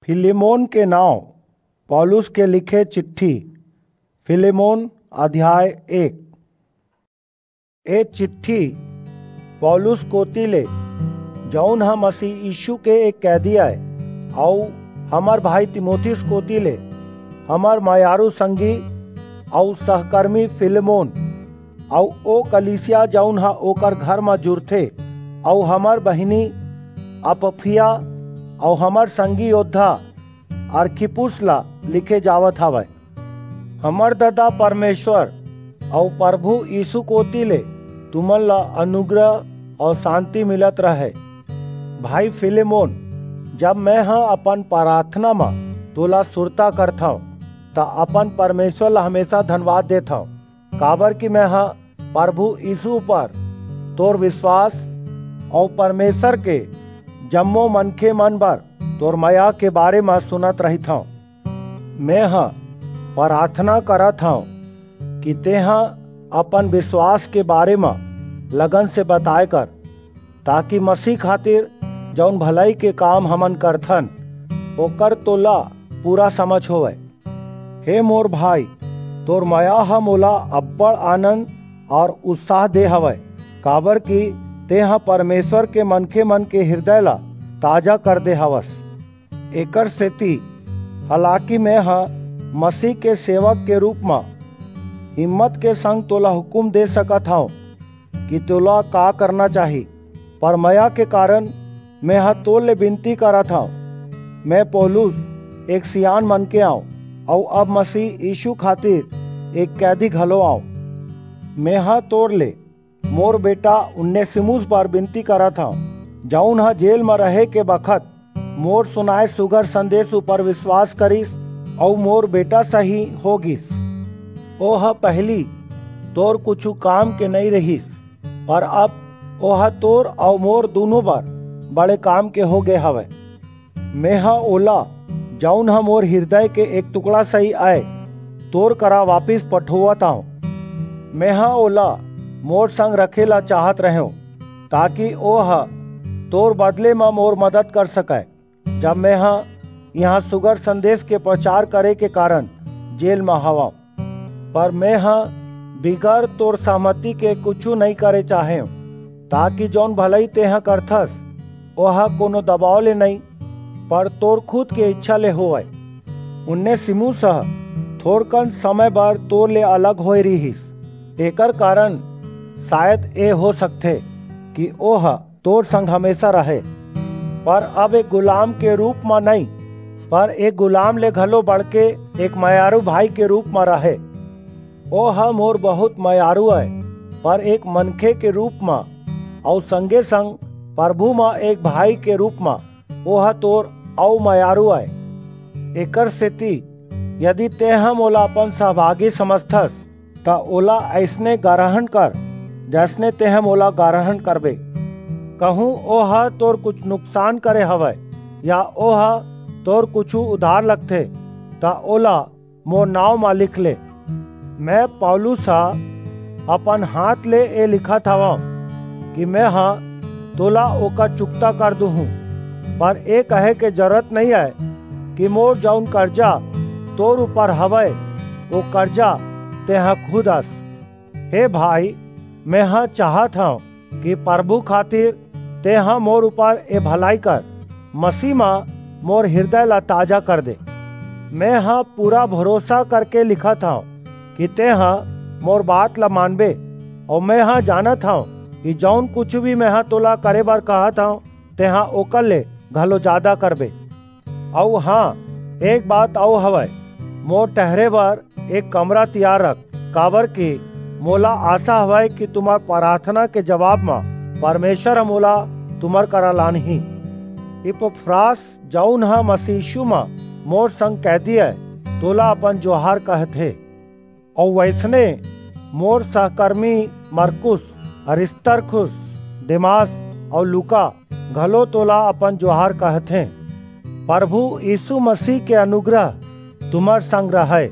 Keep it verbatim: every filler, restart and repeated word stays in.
Philemon के नांव। पौलुस के लिखे चिट्ठी। फिलेमोन, अध्याय एक। ए चिट्ठी पौलुस कोति ले, जऊन ह मसीह यीशु के एक कैदी अय, अऊ हमर भाई तीमुथियुस कोति ले, हमर मयारू संगी अऊ सहकर्मी फिलेमोन, अऊ ओ कलीसिया जऊन ह ओकर घर म जुरथे, अऊ हमर बहिनी अपफिया अऊ हमर संगी योद्धा अरखिप्पुस ला लिखे जावत हवय। हमर ददा परमेश्वर अऊ परभू यीसू कोति ले तुमन ला अनुग्रह अऊ सांति मिलत रहय। भाई फिलेमोन, जब मेंह अपन पराथना म तोला सुरता करथंव, त अपन परमेश्वर ला हमेसा धनवाद देथंव, काबरकि मेंह परभू यीसू ऊपर तोर बिसवास अऊ परमेश्वर के जम्मो मनखेमन बर तोर मया के बारे म सुनत रहिथंव। मेंह पराथना करत हंव कि तेंह अपन बिसवास के बारे म लगन से बताय कर, ताकि मसीह खातिर जऊन भलई के काम हमन करथन, ओकर तोला पूरा समझ होवय। हे मोर भाई, तोर मया ह मोला अब्बड़ आनंद अऊ उत्साह दे हवय, काबरकि तेंह परमेश्वर के मनखेमन के हिरदय ला ताजा कर दे हवस। एकरसेति, हालाकि मेंह मसीह के सेवक के रूप म हिम्मत के संग तोला हुकूम दे सकत हंव कि तोला का करना चाही, पर मया के कारन मेंह तोर ले बिनती करत हंव। में पौलुस एक सियान मनखे अंव, अऊ अब मसीह यीसू खातिर एक कैदी घलो अंव। मेंह तोर ले मोर बेटा उनेसिमुस बर बिनती करत हंव, जऊन ह जेल म रहे के बखत मोर सुनाय सुघर संदेस ऊपर बिसवास करिस अऊ मोर बेटा सहीं हो गीस। ओह पहिली तोर कुछू काम के नइं रिहिस, पर अब ओह तोर अऊ मोर दूनों बर बड़े काम के हो गे हवय। मेंह ओला, जऊन ह मोर हिरदय के एक टुकड़ा सहीं अय, तोर करा वापिस पठोवत अंव। मेंह ओला मोर संग रखे ला चाहत रहेंव, ताकि ओह तोर बदले म मोर मदद कर सकय, जब मेंह इहां सुघर संदेस के परचार करे के कारन जेल म हवंव। पर मेंह बिगर तोर सहमति के कुछू नइं करे चाहेंव, ताकि जऊन भलई तेंह करथस, ओह कोनो दबाव ले नइं, पर तोर खुद के ईछा ले होवय। उनेसिमुस ह थोरकन समय बर तोर ले अलग होय रिहिस, एकर कारन सायद ए हो सकथे कि ओह तोर संग हमेसा रहे, पर अब एक गुलाम के रूप म नइं, पर एक गुलाम ले घलो बढ़के एक मयारू भाई के रूप म रहे। ओह मोर बहुंत मयारू अय, पर एक मनखे के रूप म, अऊ संगे-संग परभू म एक भाई के रूप म ओह तोर अऊ मयारू अय। एकरसेति यदि तेंह मोला अपन सहभागी समझथस, त ओला अइसने गरहन कर, जइसने तेंह मोला गरहन करबे। कहूं ओह तोर कुछू नुकसान करे हवय, या ओह तोर कुछू उधार लगथे, त ओला मोर नांव म लिख ले। में पौलुस ह अपन हांथ ले ए लिखत हवंव कि मेंह तोला ओकर चुकता कर दूहूं, पर ए कहे के जरूरत नइं अय कि मोर जऊन करजा तोर ऊपर हवय, ओ करजा तेंह खुद अस। हे भाई, मेंह चाहत हंव कि परभू खातिर तेंह मोर ऊपर ए भलई कर, मसीह म मोर हिरदय ला ताजा कर दे। मेंह पूरा भरोसा करके लिखत हंव कि तेंह मोर बात ला मानबे, अऊ मेंह जानत हंव कि जऊन कुछू भी मेंह तोला करे बर कहत हंव, तेंह ओकर ले घलो जादा करबे। अऊ हां, एक बात अऊ हवय, मोर ठहरे बर एक कमरा तियार रख, काबरकि मोला आसा हवय कि तुम्हर पराथना के जबाब म परमेश्वर ह मोला तुम्हर करा लानही। इपफ्रास, जऊन ह मसीह यीसू म मोर संग कैदी अय, तोला अपन जोहार कहथे। अऊ वइसने मोर सहकर्मी मरकुस, अरिस्तर्खुस, देमास अऊ लूका घलो तोला अपन जोहार कहथें। परभू यीसू मसीह के अनुग्रह तुम्हर संग रहय।